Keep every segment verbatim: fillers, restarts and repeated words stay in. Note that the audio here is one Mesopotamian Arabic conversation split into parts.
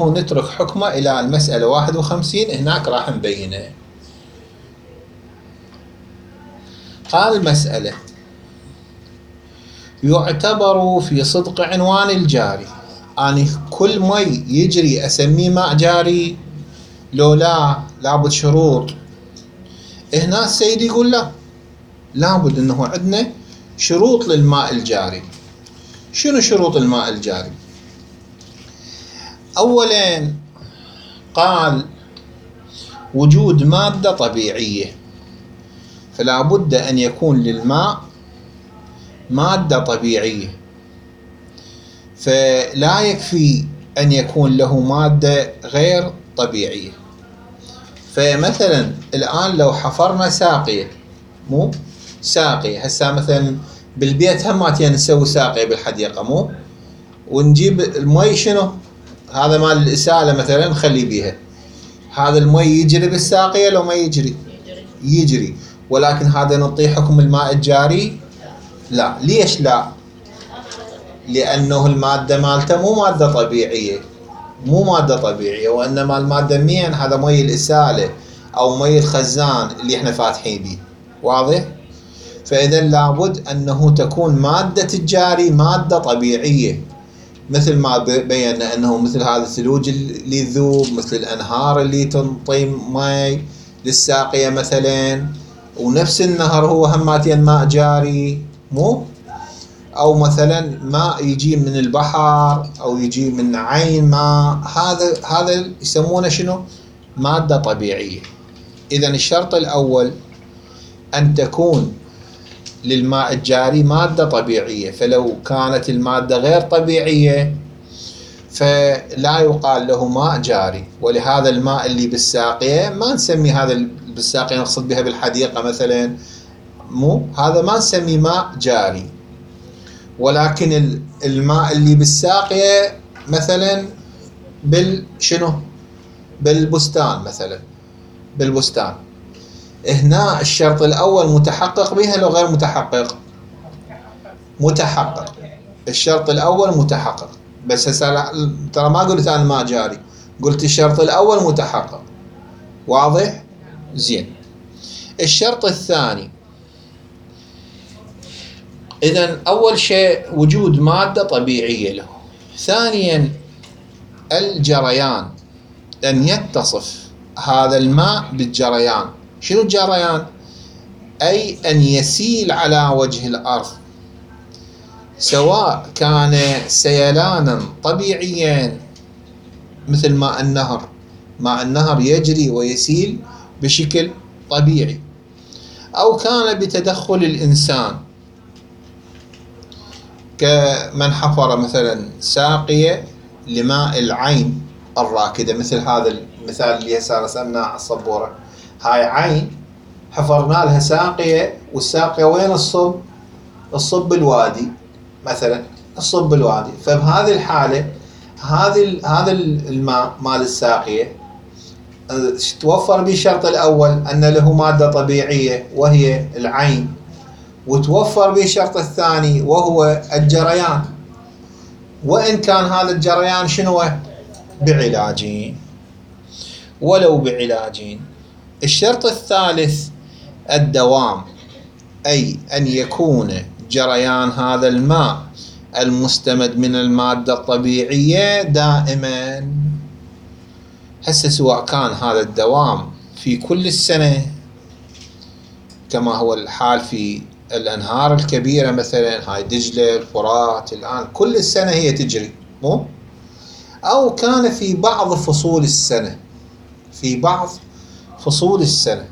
ونترك حكمه إلى المسألة واحد وخمسين، هناك راح نبينه. قال المسألة: يعتبر في صدق عنوان الجاري، أني كل مي يجري أسميه ماء جاري لو لا لابد شروط؟ هنا السيد يقول لا، لابد أنه عندنا شروط للماء الجاري. شنو شروط الماء الجاري؟ أولا قال وجود مادة طبيعية، فلا بد أن يكون للماء مادة طبيعية، فلا يكفي أن يكون له مادة غير طبيعية. فمثلا الآن لو حفرنا ساقية، مو ساقية هسه مثلا بالبيت هماتين نسوي ساقية بالحديقة، مو ونجيب المي شنو هذا مال الإسالة مثلا نخلي بيها، هذا المي يجري بالساقية لو ما يجري؟ يجري. ولكن هذا نعطيه حكم الماء الجاري؟ لا. ليش لا؟ لأنه المادة مالته مو مادة طبيعية، مو مادة طبيعية، وإنما المادة مين؟ هذا مي الإسالة أو مي الخزان اللي احنا فاتحين بيه. واضح؟ فإذا لابد أنه تكون مادة الجاري مادة طبيعية، مثل ما بينا أنه مثل هذا الثلوج اللي يذوب، مثل الأنهار اللي تنطي مي للساقية مثلا، ونفس النهر هو هماتين ماء جاري، مو؟ أو مثلا ماء يجي من البحر أو يجي من عين ماء، هذا هذا يسمونه شنو؟ مادة طبيعية. إذا الشرط الأول أن تكون للماء الجاري مادة طبيعية، فلو كانت المادة غير طبيعية فلا يقال له ماء جاري. ولهذا الماء اللي بالساقية ما نسمي هذا بالساقية نقصد بها بالحديقة مثلا، مو هذا ما نسمي ماء جاري. ولكن الماء اللي بالساقية مثلا بالشنو بالبستان مثلا، بالبستان هنا الشرط الأول متحقق بها لو غير متحقق؟ متحقق. الشرط الأول متحقق، بس هسه ترى ما قلت أنا ماء جاري، قلت الشرط الأول متحقق. واضح؟ زين. الشرط الثاني، إذن أول شيء وجود مادة طبيعية له. ثانيا الجريان، أن يتصف هذا الماء بالجريان. شنو الجريان؟ أي أن يسيل على وجه الأرض، سواء كان سيلانا طبيعيا مثل ماء النهر، ماء النهر يجري ويسيل بشكل طبيعي، أو كان بتدخل الإنسان كمن حفر مثلا ساقية لماء العين الراكدة، مثل هذا المثال اللي هسه رسمناه على السبورة، هاي عين حفرنا لها ساقية، والساقية وين الصب؟ الصب بالوادي مثلا، الصب بالوادي. فبهذه الحالة هذه هذا الماء مال الساقية توفر به الشرط الأول أن له مادة طبيعية وهي العين، وتوفر به الشرط الثاني وهو الجريان، وإن كان هذا الجريان شنو؟ بعلاجين، ولو بعلاجين. الشرط الثالث الدوام، أي أن يكون جريان هذا الماء المستمد من المادة الطبيعية دائما. هسه سواء كان هذا الدوام في كل السنة كما هو الحال في الأنهار الكبيرة مثلا، هاي دجلة الفرات الآن كل السنة هي تجري، مو؟ أو كان في بعض فصول السنة، في بعض فصول السنة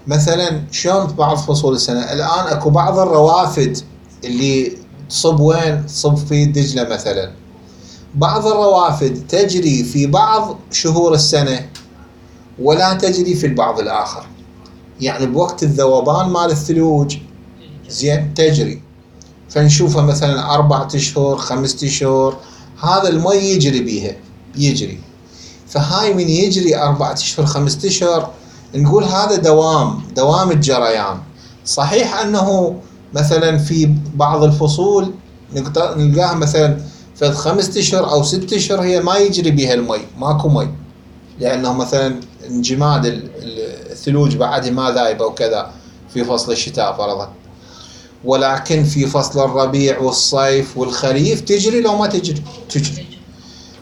مثلا. شلون بعض فصول السنة؟ الآن اكو بعض الروافد اللي تصب وين؟ تصب في دجلة مثلا. بعض الروافد تجري في بعض شهور السنة ولا تجري في البعض الآخر، يعني بوقت الذوبان مال الثلوج زين تجري، فنشوفها مثلا أربعة أشهر خمسة أشهر هذا المي يجري بيها يجري. فهاي من يجري أربعة أشهر خمسة أشهر نقول هذا دوام دوام الجريان. صحيح أنه مثلا في بعض الفصول نلقاها مثلا فد خمسة اشهر او ست اشهر هي ما يجري بها المي، ماكو مي، لانه مثلا انجماد الثلوج بعدها ما ذايبه وكذا في فصل الشتاء فرضا، ولكن في فصل الربيع والصيف والخريف تجري لو ما تجري؟ تجري.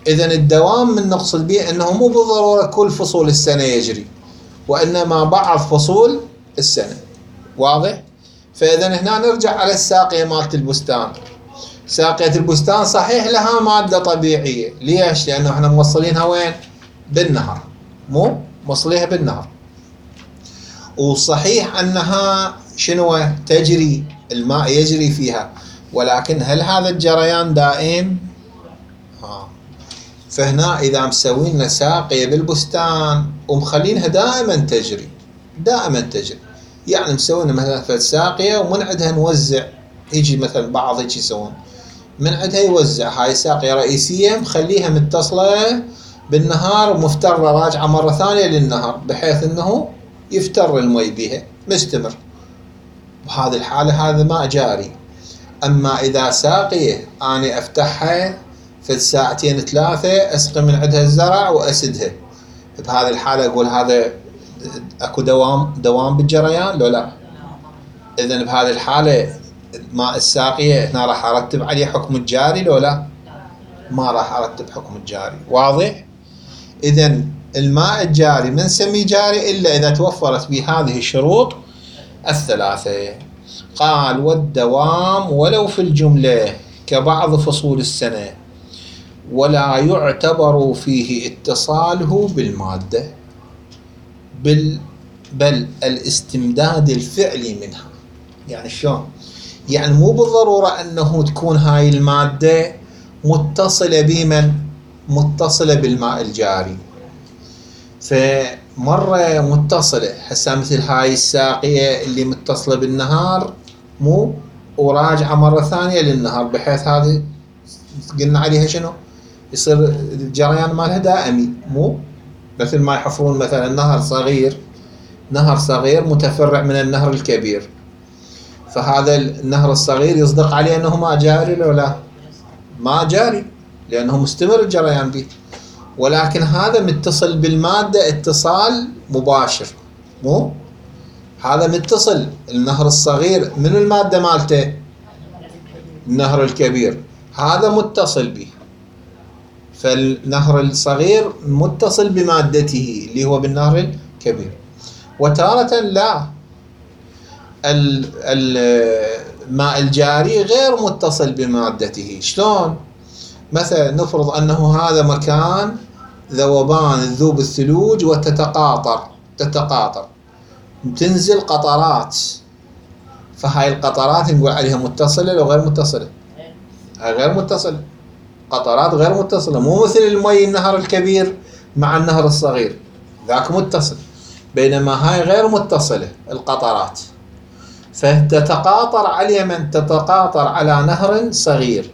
اذا الدوام من نقصد به انه مو بالضروره كل فصول السنه يجري، وانما بعض فصول السنه. واضح؟ فاذا هنا نرجع على الساقيه مالت البستان. ساقيه البستان صحيح لها ماده طبيعيه، ليش؟ لانه احنا موصلينها وين؟ بالنهر، مو موصليها بالنهر، وصحيح انها شنو؟ تجري، الماء يجري فيها، ولكن هل هذا الجريان دائم؟ ها. فهنا اذا مسوين ساقيه بالبستان ومخلينها دائما تجري، دائما تجري، يعني مسوين مثلا ساقيه ومن عندها نوزع، يجي مثلا بعض هيك يسوون من عندها يوزع، هاي ساقيه رئيسيه مخليها متصله بالنهار ومفتره راجعه مره ثانيه للنهر، بحيث انه يفتر المي بها مستمر. بهذه الحاله هذا ماء جاري. اما اذا ساقيه اني افتحها في ساعتين ثلاثه اسقي من عندها الزرع واسدها، بهذه الحاله اقول هذا اكو دوام دوام بالجريان لو لا؟ اذا بهذه الحاله ماء الساقيه هنا راح ارتب عليه حكم الجاري لو لا؟ ما راح ارتب حكم الجاري. واضح؟ اذا الماء الجاري ما نسميه جاري الا اذا توفرت به هذه الشروط الثلاثه. قال والدوام ولو في الجمله كبعض فصول السنه، ولا يعتبر فيه اتصاله بالماده، بل بل الاستمداد الفعلي منها. يعني شلون؟ يعني مو بالضروره انه تكون هاي الماده متصله بمن؟ متصله بالماء الجاري. فمره متصله، هسه مثل هاي الساقيه اللي متصله بالنهار مو وراجعه مره ثانيه للنهر، بحيث هذه قلنا عليها شنو؟ يصير الجريان مالها دائمي، مو مثل ما يحفرون مثلا نهر صغير، نهر صغير متفرع من النهر الكبير، فهذا النهر الصغير يصدق عليه انه ما جاري لو لا؟ ما جاري، لانه مستمر الجريان به، ولكن هذا متصل بالماده اتصال مباشر، مو هذا متصل. النهر الصغير من الماده مالته؟ النهر الكبير، هذا متصل به، فالنهر الصغير متصل بمادته اللي هو بالنهر الكبير. وتارة لا، الماء الجاري غير متصل بمادته. شلون؟ مثلا نفرض انه هذا مكان ذوبان ذوب الثلوج وتتقاطر تتقاطر تنزل قطرات، فهاي القطرات نقول عليها متصلة لو غير متصلة؟ غير متصلة، قطرات غير متصلة، مو مثل المي النهر الكبير مع النهر الصغير، ذاك متصل، بينما هاي غير متصلة القطرات، فتتقاطر على من؟ تتقاطر على نهر صغير،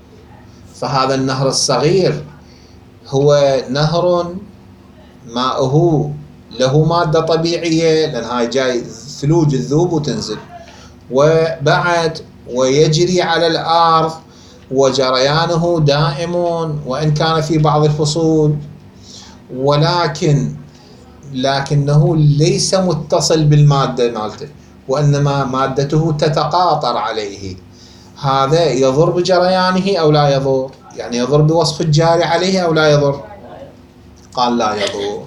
فهذا النهر الصغير هو نهر ماءه له مادة طبيعية، لأن هاي جاي ثلوج الذوب وتنزل، وبعد ويجري على الأرض وجريانه دائم وإن كان في بعض الفصول، ولكن لكنه ليس متصل بالمادة مالته، وإنما مادته تتقاطر عليه. هذا يضر بجريانه أو لا يضر؟ يعني يضر بوصف الجاري عليه أو لا يضر؟ قال لا يضر.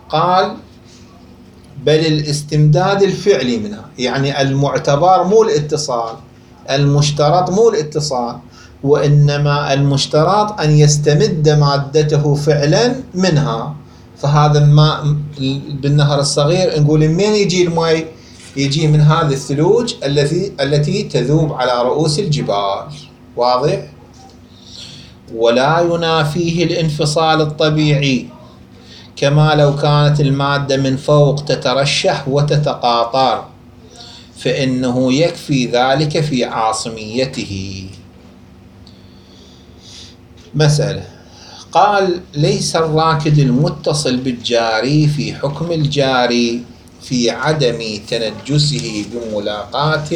قال بل الاستمداد الفعلي منها، يعني المعتبر مو الاتصال، المشترط مو الاتصال، وإنما المشترط أن يستمد مادته فعلا منها. فهذا الماء بالنهر الصغير نقول منين يجي الماء؟ يجي من هذه الثلوج التي التي تذوب على رؤوس الجبال. واضح؟ ولا ينافيه الانفصال الطبيعي، كما لو كانت المادة من فوق تترشح وتتقاطر، فإنه يكفي ذلك في عاصميته. مسألة. قال ليس الراكد المتصل بالجاري في حكم الجاري في عدم تنجسه بملاقاة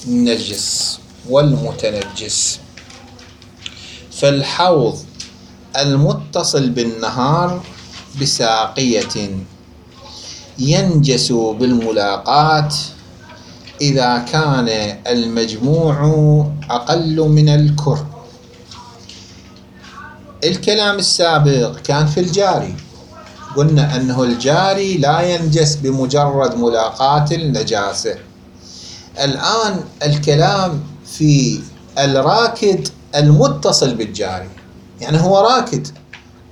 النجس والمتنجس. فالحوض المتصل بالنهر بساقية ينجس بالملاقاة إذا كان المجموع أقل من الكر. الكلام السابق كان في الجاري، قلنا أنه الجاري لا ينجس بمجرد ملاقاة النجاسة. الآن الكلام في الراكد المتصل بالجاري، يعني هو راكد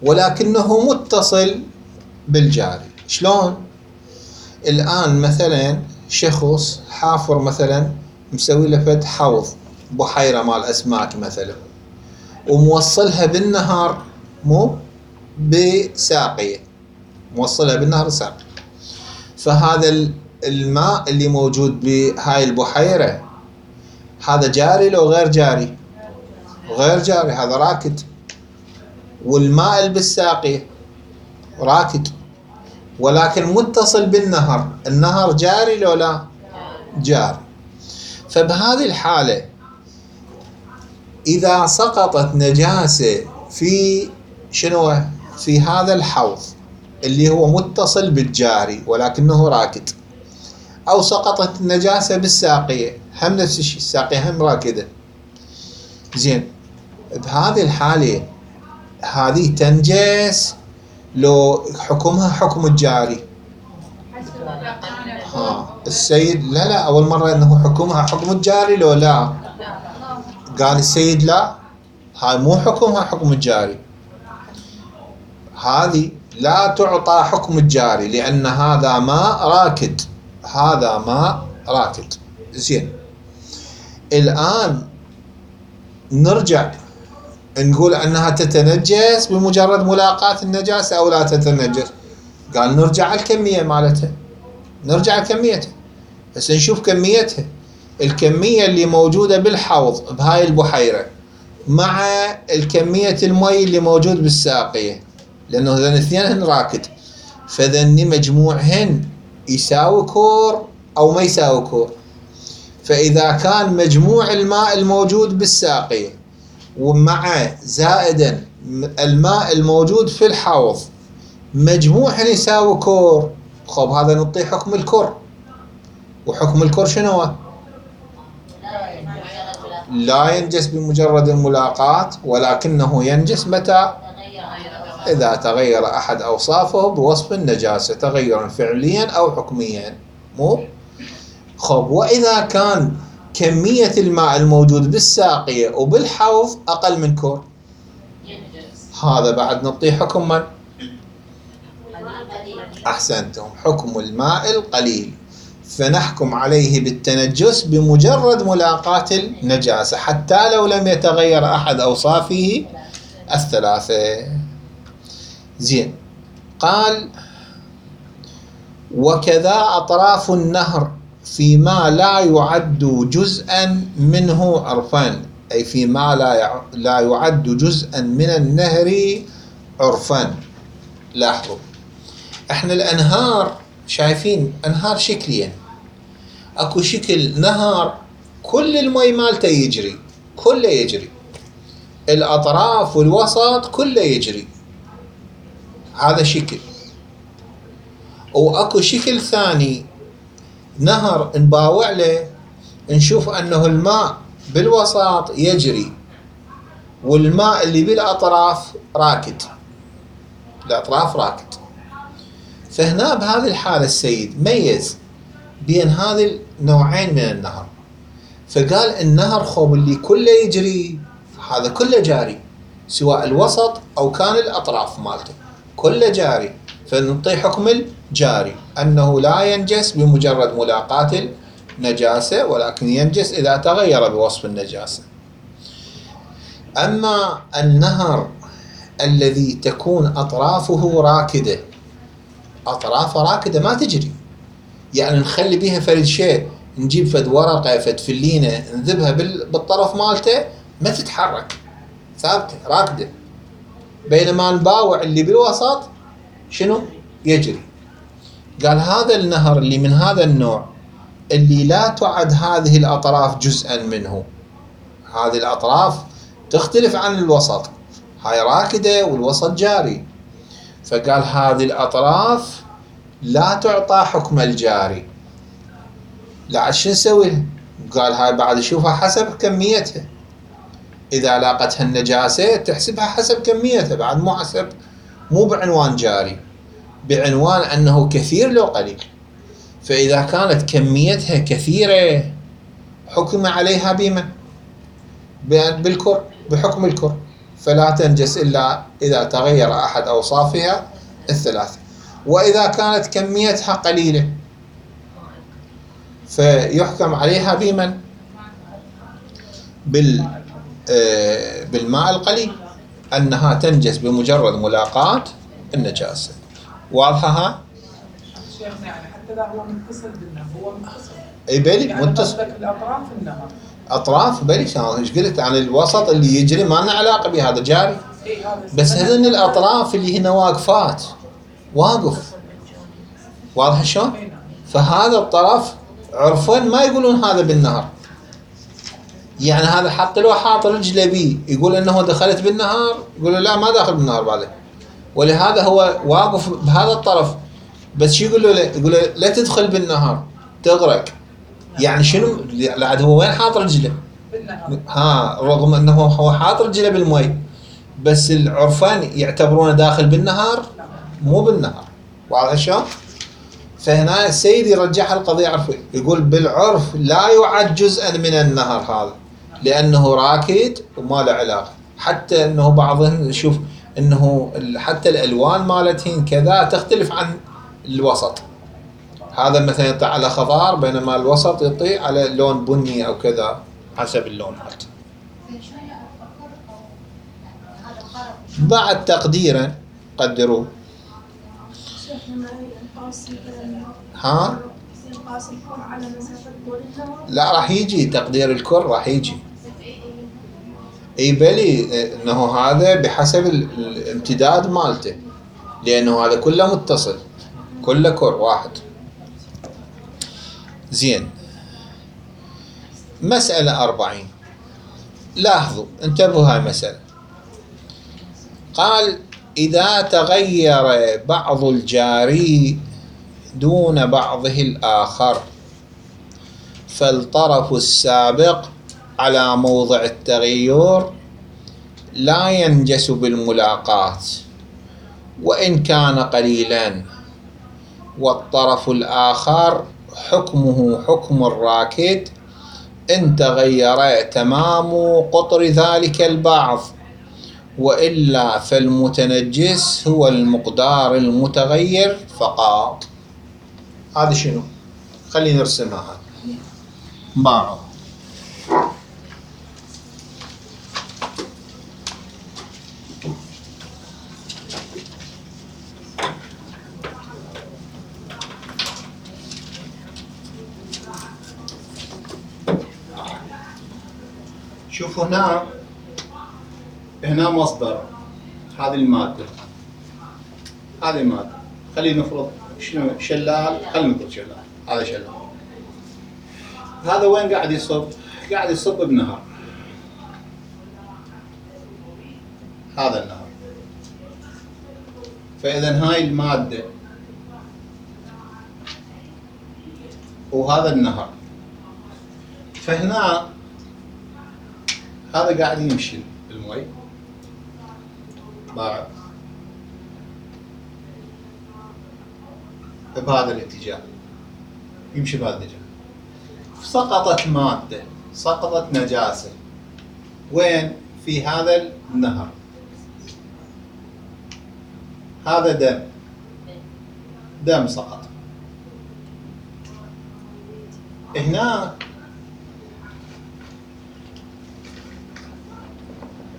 ولكنه متصل بالجاري. شلون؟ الآن مثلا شخص حافر مثلا مسوي له فد حوض بحيرة مال أسماك مثلا، وموصلها بالنهر مو بساقية، موصلها بالنهر ساقية. فهذا الماء اللي موجود بهاي البحيرة هذا جاري لو غير جاري؟ غير جاري، هذا راكد. والماء اللي بالساقية راكد ولكن متصل بالنهر، النهر جاري لو لا؟ جاري. فبهذه الحالة إذا سقطت نجاسة في شنو؟ في هذا الحوض اللي هو متصل بالجاري ولكنه راكد، أو سقطت النجاسة بالساقية، هم نفس الشيء، الساقية هم راكدة. زين، بهذه الحالة هذه تنجس لو حكمها حكم الجاري؟ ها السيد لا لا أول مرة أنه حكمها حكم الجاري لو لا؟ قال السيد لا، هاي مو حكمها حكم الجاري، هذه لا تعطى حكم الجاري لأن هذا ماء راكد، هذا ماء راكد. زين، الآن نرجع نقول أنها تتنجس بمجرد ملاقاة النجاسة أو لا تتنجس؟ قال نرجع الكمية مالتها، نرجع كميتها، بس نشوف كميتها، الكمية اللي موجودة بالحوض بهاي البحيرة مع الكمية المي اللي موجود بالساقية، لأنه ذن اثنين راكد، فذن مجموعهن يساوي كور أو ما يساوي كور. فإذا كان مجموع الماء الموجود بالساقية ومع زائدا الماء الموجود في الحوض مجموعهن يساوي كور، خب هذا نعطيه حكم الكور. وحكم الكور شنو؟ لا ينجس بمجرد الملاقاة، ولكنه ينجس متى؟ إذا تغير أحد أوصافه بوصف النجاسة تغيرا فعليا أو حكميا. مو خب، وإذا كان كمية الماء الموجود بالساقية وبالحوض أقل من كور، هذا بعد نعطيه حكم من؟ أحسنتم، حكم الماء القليل، فنحكم عليه بالتنجس بمجرد ملاقاة النجاسة حتى لو لم يتغير أحد أوصافه الثلاثة. زين، قال وكذا أطراف النهر فيما لا يعد جزءا منه عرفان، أي فيما لا لا يعد جزءا من النهر عرفان. لاحظوا احنا الأنهار شايفين أنهار شكليا، اكو شكل نهر كل المي مالته يجري، كله يجري، الأطراف والوسط كله يجري، هذا شكل. واكو شكل ثاني نهر نباوع له نشوف انه الماء بالوسط يجري والماء اللي بالاطراف راكد، الاطراف راكد. فهنا بهذه الحالة السيد ميز بين هذه النوعين من النهر، فقال النهر خب اللي كله يجري هذا كله جاري، سواء الوسط او كان الاطراف مالته كله جاري، فنعطيه حكم الجاري أنه لا ينجس بمجرد ملاقاة النجاسة، ولكن ينجس إذا تغير بوصف النجاسة. أما النهر الذي تكون أطرافه راكدة، أطرافه راكدة ما تجري، يعني نخلي بيها فرد شيء، نجيب فد ورقة فد فلينة نذبها بالطرف مالته ما تتحرك، ثابتة راكدة، بينما نباوع اللي بالوسط شنو؟ يجري. قال هذا النهر اللي من هذا النوع اللي لا تعد هذه الأطراف جزءا منه، هذه الأطراف تختلف عن الوسط، هاي راكدة والوسط جاري، فقال هذه الأطراف لا تعطى حكم الجاري. لا شو نسوي؟ قال هاي بعد شوفها حسب كميتها، إذا لاقتها النجاسة تحسبها حسب كميتها، بعد مو حسب، مو بعنوان جاري، بعنوان أنه كثير لو قليل. فإذا كانت كميتها كثيرة حكم عليها بمن؟ بالكر، بحكم الكر، فلا تنجس إلا إذا تغير أحد أوصافها الثلاثة. وإذا كانت كميتها قليلة فيحكم عليها بمن؟ بال بالماء القليل، أنها تنجس بمجرد ملاقاة النجاسة. واضحة ها؟ شيخنا يعني حتى إذا هو متصل بالنهر، هو متصل اي بلي يعني متصل الأطراف النهر، أطراف بلي. ايش قلت عن الوسط اللي يجري ما لنا علاقة به، هذا جاري. بس هذن الأطراف اللي هنا واقفات، واقف، واضح شلون؟ فهذا الطرف عرفا ما يقولون هذا بالنهر، يعني هذا حتى لو حاط رجله بيه يقول انه دخلت بالنهار، يقولوا لا ما داخل بالنهار بعده، ولهذا هو واقف بهذا الطرف. بس شو يقول له؟ يقول له لا تدخل بالنهار تغرق. يعني شنو؟ لا هو وين حاط رجله؟ بالنهر. ها، رغم انه هو حاط رجله بالمي، بس العرفان يعتبرونه داخل بالنهار، مو بالنهر. واضح شلون؟ فهنا السيد يرجح القضية عرفي، يقول بالعرف لا يعد جزءا من النهر هذا، لأنه راكد وما له علاقة. حتى أنه بعضهم يشوف أنه حتى الألوان مالتهن كذا تختلف عن الوسط، هذا مثلا يطيع على خضار بينما الوسط يطيع على لون بني أو كذا حسب اللون مالته. بعد تقديرا قدروه. ها؟ لا راح يجي تقدير الكر، راح يجي. اي بلي انه هذا بحسب الامتداد مالته، لانه هذا كله متصل، كله كر واحد. زين. مسألة أربعين، لاحظوا انتبهوا هاي المسألة. قال إذا تغير بعض الجاري دون بعضه الآخر فالطرف السابق على موضع التغير لا ينجس بالملاقاة وإن كان قليلا، والطرف الآخر حكمه حكم الراكد إن تغير تمام قطر ذلك البعض، وإلا فالمتنجس هو المقدار المتغير فقط. هذا شنو؟ خلينا نرسمها. باعوا شوفوا هنا، هنا مصدر هذه المادة، هذه المادة خلينا نفرض شنو شلال، خلينا نقول شلال، هذا شلال. هذا وين قاعد يصب؟ قاعد يصب بنهر، هذا النهر. فإذا هاي المادة وهذا النهر، فهنا هذا قاعد يمشي بالمي بعد بهذا الاتجاه، يمشي بهذا الاتجاه. سقطت مادة، سقطت نجاسة، وين؟ في هذا النهر، هذا دم، دم سقط هنا.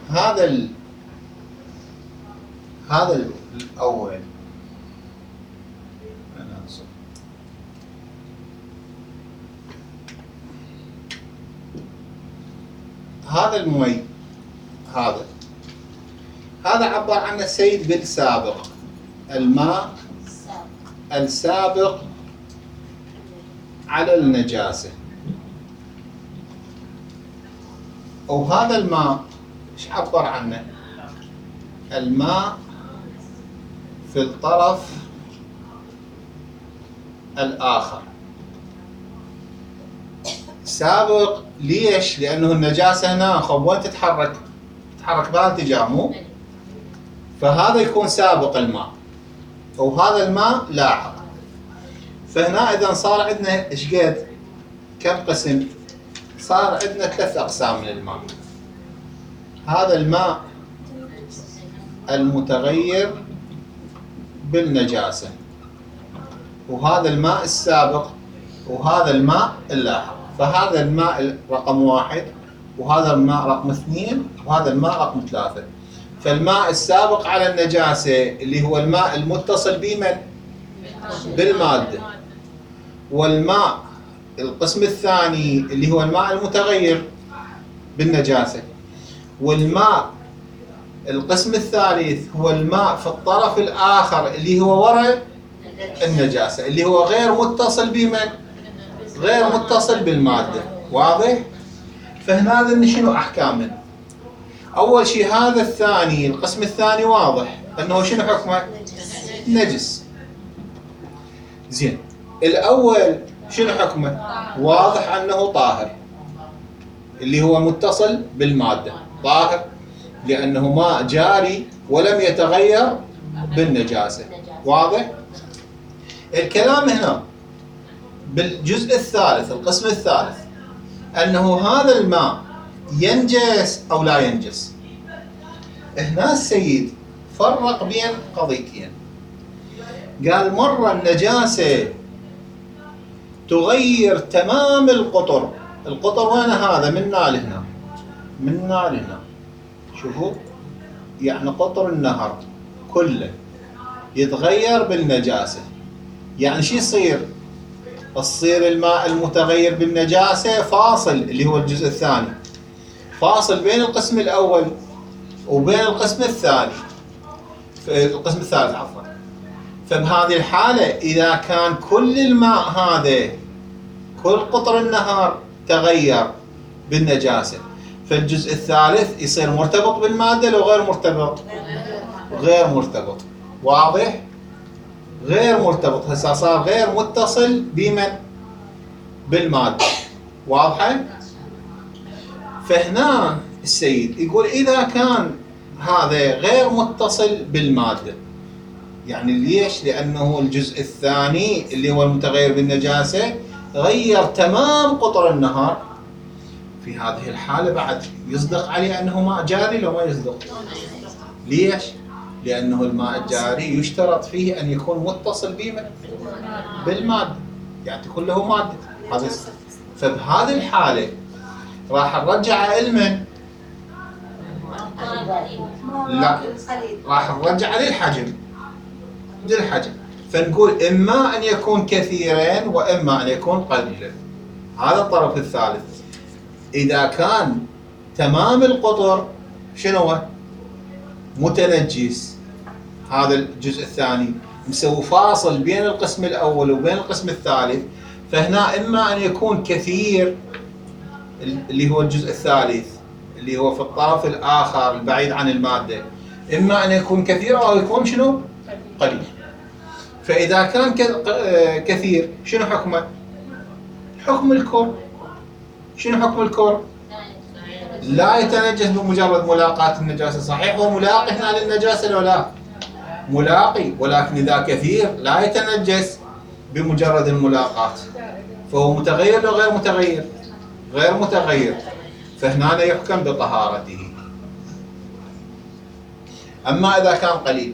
هذا ال... هذا الأول أنا أنصر. هذا المي، هذا هذا عبر عنه السيد بالسابق، الماء السابق على النجاسة. وهذا الماء ايش عبر عنه؟ الماء في الطرف الآخر. سابق ليش؟ لأنه النجاسة هنا خب وين تتحرك؟ تتحرك بهالاتجاه مو؟ فهذا يكون سابق الماء وهذا الماء لاحق. فهنا إذا صار عندنا إيش قد؟ كم قسم؟ صار عندنا ثلاث أقسام من الماء. هذا الماء المتغير بالنجاسة، وهذا الماء السابق، وهذا الماء اللاحق. فهذا الماء رقم واحد، وهذا الماء رقم اثنين، وهذا الماء رقم ثلاثة. فالماء السابق على النجاسة اللي هو الماء المتصل بمن؟ بالمادة. والماء القسم الثاني اللي هو الماء المتغير بالنجاسة. والماء القسم الثالث هو الماء في الطرف الآخر اللي هو وراء النجاسة، اللي هو غير متصل بمن؟ غير متصل بالمادة. واضح؟ فهنا هذا شنو أحكامه؟ أول شيء هذا الثاني، القسم الثاني واضح أنه شنو حكمه؟ نجس. زين، الأول شنو حكمه؟ واضح أنه طاهر، اللي هو متصل بالمادة، طاهر لأنه ماء جاري ولم يتغير بالنجاسة. واضح؟ الكلام هنا بالجزء الثالث، القسم الثالث، أنه هذا الماء ينجس أو لا ينجس. هنا السيد فرق بين قضيتين. قال مرة النجاسة تغير تمام القطر. القطر وين هذا؟ من هنا لهنا، من هنا لهنا. شوفوا، يعني قطر النهر كله يتغير بالنجاسة. يعني شو يصير؟ تصير الماء المتغير بالنجاسة فاصل، اللي هو الجزء الثاني، فاصل بين القسم الأول وبين القسم الثاني، القسم الثالث عفوا. فبهذه الحالة إذا كان كل الماء هذا، كل قطر النهر تغير بالنجاسة، فالجزء الثالث يصير مرتبط بالمادة لو غير مرتبط؟ غير مرتبط. واضح؟ غير مرتبط، هسه صار غير متصل بمن؟ بالمادة. واضحة؟ فهنا السيد يقول إذا كان هذا غير متصل بالمادة، يعني ليش؟ لأنه الجزء الثاني اللي هو المتغير بالنجاسة غير تمام قطر النهر. في هذه الحالة بعد يصدق عليه أنه ماء جاري لو ما يصدق؟ ليش؟ لأنه الماء الجاري يشترط فيه أن يكون متصل بمن؟ بالمادة، يعني تكون له مادة. هذا فبهذه الحالة راح نرجع لمن؟ لا، راح نرجع للحجم، للحجم. فنقول إما أن يكون كثيرين وإما أن يكون قليلا. هذا الطرف الثالث. إذا كان تمام القطر شنو هو؟ متنجس، هذا الجزء الثاني مسوي فاصل بين القسم الأول وبين القسم الثالث، فهنا إما أن يكون كثير اللي هو الجزء الثالث اللي هو في الطرف الآخر البعيد عن المادة، إما أن يكون كثير أو يكون شنو؟ قليل. فإذا كان كثير شنو حكمه؟ حكم الكور. شنو حكم الكور؟ لا يتنجس بمجرد ملاقاة النجاسة. صحيح هو ملاقي هنا للنجاسة لو لا؟ ملاقي، ولكن إذا كثير لا يتنجس بمجرد الملاقاة، فهو متغير لو غير متغير؟ غير متغير، فهنا يحكم بطهارته. أما إذا كان قليل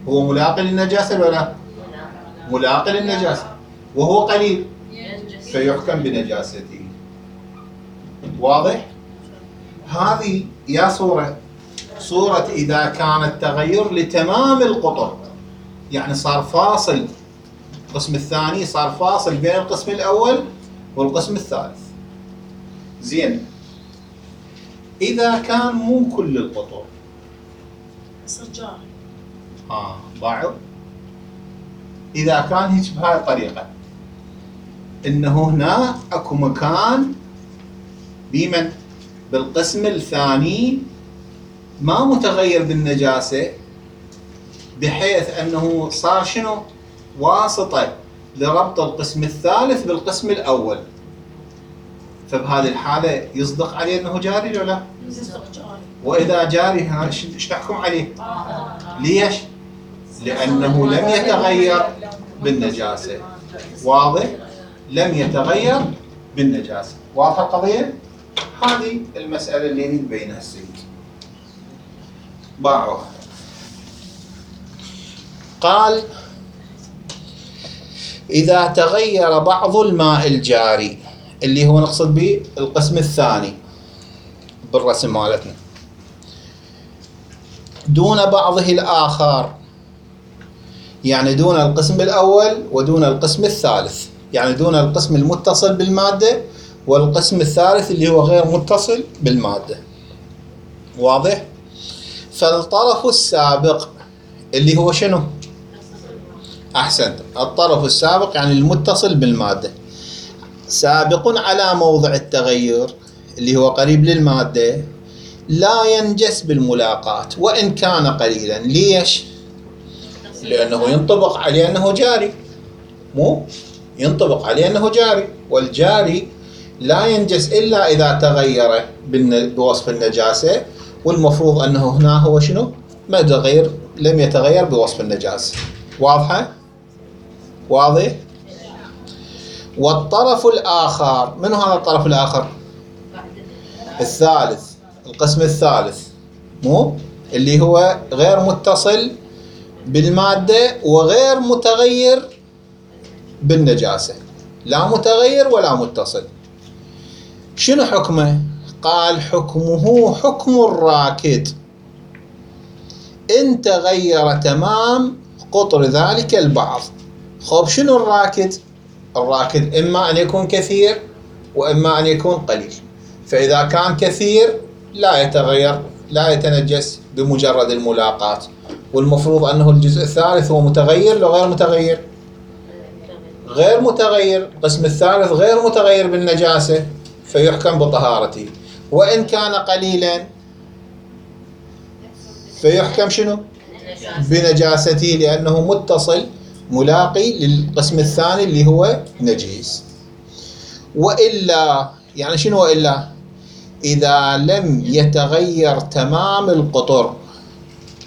هو ملاقي للنجاسة لو لا؟ ملاقي للنجاسة وهو قليل فيحكم بنجاسته. واضح؟ هذه يا صورة صورة إذا كان التغير لتمام القطر، يعني صار فاصل، القسم الثاني صار فاصل بين القسم الأول والقسم الثالث. زين، إذا كان مو كل القطر يصير جاري. ها بعض. إذا كان هيك بهاي الطريقة، إنه هنا أكو مكان بمن؟ بالقسم الثاني ما متغير بالنجاسة، بحيث أنه صار شنو؟ واسطة لربط القسم الثالث بالقسم الأول. فبهذه الحالة يصدق عليه أنه جاري ولا لا؟ وإذا جاري ايش نحكم عليه؟ ليش؟ لأنه لم يتغير بالنجاسة. واضح؟ لم يتغير بالنجاسة. واضحة القضية؟ هذه المسألة اللي نبينها السيد. باعوها. قال: إذا تغير بعض الماء الجاري، اللي هو نقصد به القسم الثاني بالرسم مالتنا، دون بعضه الآخر، يعني دون القسم الأول ودون القسم الثالث، يعني دون القسم المتصل بالمادة والقسم الثالث اللي هو غير متصل بالمادة. واضح؟ فالطرف السابق اللي هو شنو؟ أحسنت، الطرف السابق يعني المتصل بالمادة، سابق على موضع التغير اللي هو قريب للمادة، لا ينجس بالملاقاة وإن كان قليلا. ليش؟ لأنه ينطبق عليه أنه جاري، مو ينطبق عليه أنه جاري، والجاري لا ينجس إلا إذا تغير بوصف النجاسة، والمفروض أنه هنا هو شنو؟ ما تغير، لم يتغير بوصف النجاسة. واضحة؟ واضح؟ والطرف الآخر، من هذا الطرف الآخر؟ الثالث، القسم الثالث، مو اللي هو غير متصل بالمادة وغير متغير بالنجاسة، لا متغير ولا متصل. شنو حكمه؟ قال: حكمه حكم الراكد إن تغير تمام قطر ذلك البعض. خب شنو الراكد؟ الراكد إما أن يكون كثير وإما أن يكون قليل. فإذا كان كثير لا يتغير، لا يتنجس بمجرد الملاقاة، والمفروض أنه الجزء الثالث هو متغير لو غير متغير؟ غير متغير. القسم الثالث غير متغير بالنجاسة، فيحكم بطهارته. وإن كان قليلا فيحكم شنو؟ بنجاسته، لأنه متصل ملاقي للقسم الثاني اللي هو نجيس. وإلا، يعني شنو وإلا؟ إذا لم يتغير تمام القطر،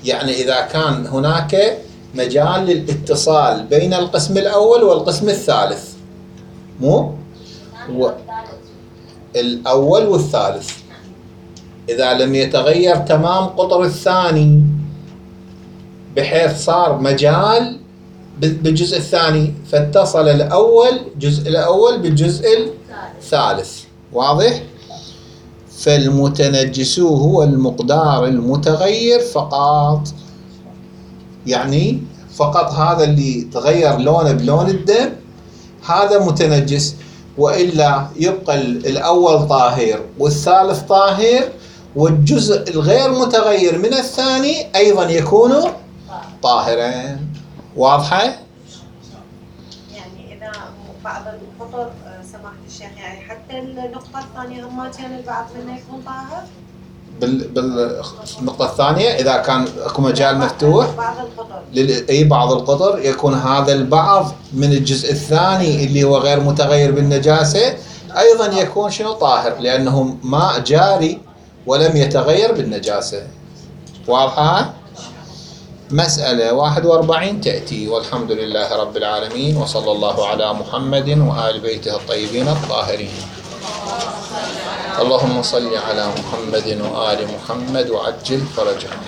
يعني إذا كان هناك مجال للاتصال بين القسم الأول والقسم الثالث، مو و... الأول والثالث، إذا لم يتغير تمام قطر الثاني بحيث صار مجال بالجزء الثاني، فاتصل الأول جزء الأول بالجزء الثالث. واضح؟ فالمتنجس هو المقدار المتغير فقط، يعني فقط هذا اللي تغير لونه بلون الدم هذا متنجس، وإلا يبقى الأول طاهر والثالث طاهر، والجزء الغير متغير من الثاني أيضا يكون طاهرا. واضحة؟ يعني إذا بعض القطر سماحة الشيخ، يعني حتى النقطة الثانية هم كان البعض منه يكون طاهر؟ بال بالنقطة الثانية إذا كان اكو مجال مفتوح، بعض القطر لل... أي بعض القطر يكون هذا البعض من الجزء الثاني اللي هو غير متغير بالنجاسة أيضا يكون شنو؟ طاهر، لأنه ماء جاري ولم يتغير بالنجاسة. واضحة؟ مسألة واحد وأربعين تأتي. والحمد لله رب العالمين، وصلى الله على محمد وآل بيته الطيبين الطاهرين. اللهم صل على محمد وآل محمد وعجل فرجهم.